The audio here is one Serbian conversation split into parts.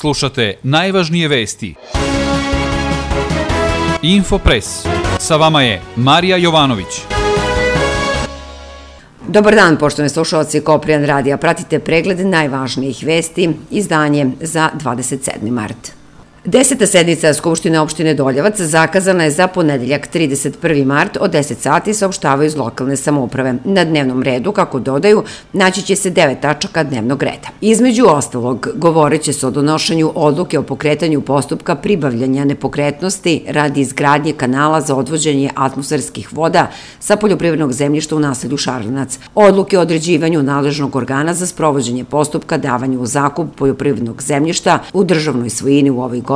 Slušate najvažnije vesti. Infopres. Sa vama je Marija Jovanović. Dobar dan, poštovani slušalci Koprijan radija. Pratite pregled najvažnijih vesti, izdanje za 27. mart. 10. sednica Skupštine opštine Doljevac zakazana je za ponedeljak 31. mart od 10 sati, saopštavaju iz lokalne samouprave. Na dnevnom redu, kako dodaju, naći će se 9 tačaka dnevnog reda. Između ostalog, govorit će se o donošenju odluke o pokretanju postupka pribavljanja nepokretnosti radi izgradnje kanala za odvođenje atmosferskih voda sa poljoprivrednog zemljišta u naselju Šarlinac, odluke o određivanju nadležnog organa za sprovođenje postupka davanju u zakup poljoprivrednog zemljišta u državnoj svojini u ovoj godini,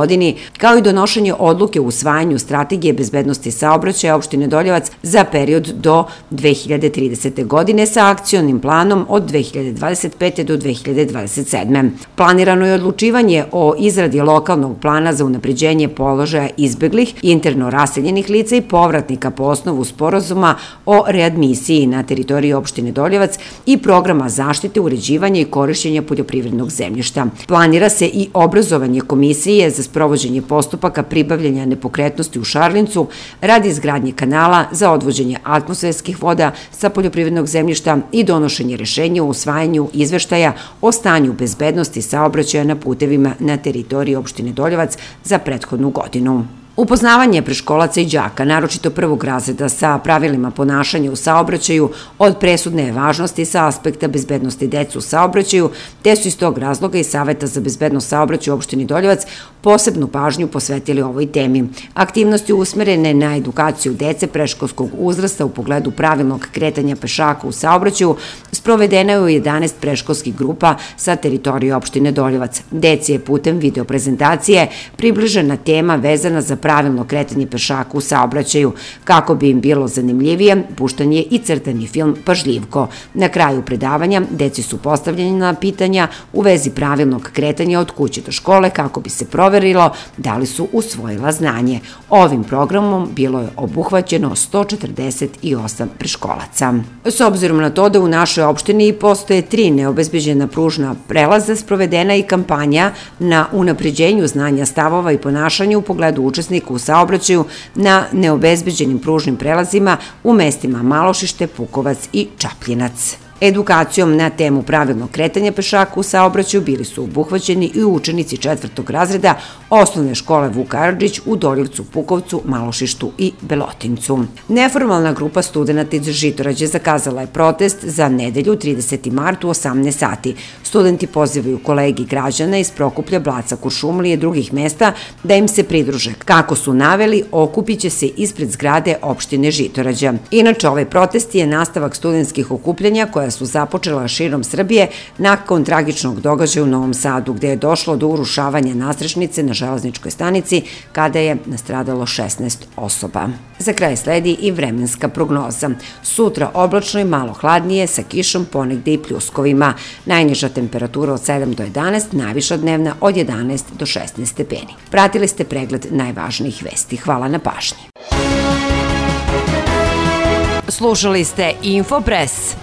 kao i donošenje odluke o usvajanju strategije bezbednosti saobraćaja opštine Doljevac za period do 2030. godine sa akcionim planom od 2025. do 2027. Planirano je odlučivanje o izradi lokalnog plana za unapređenje položaja izbeglih, interno raseljenih lica i povratnika po osnovu sporazuma o readmisiji na teritoriji opštine Doljevac i programa zaštite, uređivanja i korišćenja poljoprivrednog zemljišta. Planira se i obrazovanje komisije za sprovođenje postupaka pribavljanja nepokretnosti u Šarlincu radi izgradnje kanala za odvođenje atmosferskih voda sa poljoprivrednog zemljišta i donošenje rešenja o usvajanju izveštaja o stanju bezbednosti saobraćaja na putevima na teritoriji opštine Doljevac za prethodnu godinu. Upoznavanje preškolaca i đaka, naročito prvog razreda, sa pravilima ponašanja u saobraćaju od presudne je važnosti sa aspekta bezbednosti dece u saobraćaju, te su iz tog razloga i Saveta za bezbednost saobraćaja u opštini Doljevac posebnu pažnju posvetili ovoj temi. Aktivnosti usmerene na edukaciju dece predškolskog uzrasta u pogledu pravilnog kretanja pešaka u saobraćaju sprovedena je u 11 predškolskih grupa sa teritorije opštine Doljevac. Deci je putem videoprezentacije približena tema vezana za pravilno kretanje pešaka u saobraćaju. Kako bi im bilo zanimljivije, puštan je i crtani film Pažljivko. Na kraju predavanja deci su postavljena pitanja u vezi pravilnog kretanja od kuće do škole kako bi se proverilo da li su usvojila znanje. Ovim programom bilo je obuhvaćeno 148 preškolaca. S obzirom na to da u našoj opštini postoje 3 neobezbeđena pružna prelaza, sprovedena i kampanja na unapređenju znanja stavova i ponašanja u pogledu učesnika u saobraćaju na neobezbeđenim pružnim prelazima u mestima Malošište, Pukovac i Čapljinac. Edukacijom na temu pravilnog kretanja pešaka u saobraćaju bili su obuhvaćeni i učenici 4. razreda osnovne škole Vuk Karadžić u Doljevcu, Pukovcu, Malošištu i Belotincu. Neformalna grupa studenata iz Žitorađe zakazala je protest za nedelju 30. mart u 18 sati. Studenti pozivaju kolegi građana iz Prokuplja, Blaca, Kuršumlije i drugih mesta da im se pridruže. Kako su naveli, okupit će se ispred zgrade opštine Žitorađa. Inače, ovaj protest je nastavak studentskih okupljanja koja su započela širom Srbije nakon tragičnog događaja u Novom Sadu, gde je došlo do urušavanja nadstrešnice na železničkoj stanici kada je nastradalo 16 osoba. Za kraj sledi i vremenska prognoza. Sutra oblačno i malo hladnije sa kišom, ponegde i pljuskovima. Najniža temperatura od 7 do 11, najviša dnevna od 11 do 16 stepeni. Pratili ste pregled najvažnijih vesti. Hvala na pažnji. Slušali ste Infopres.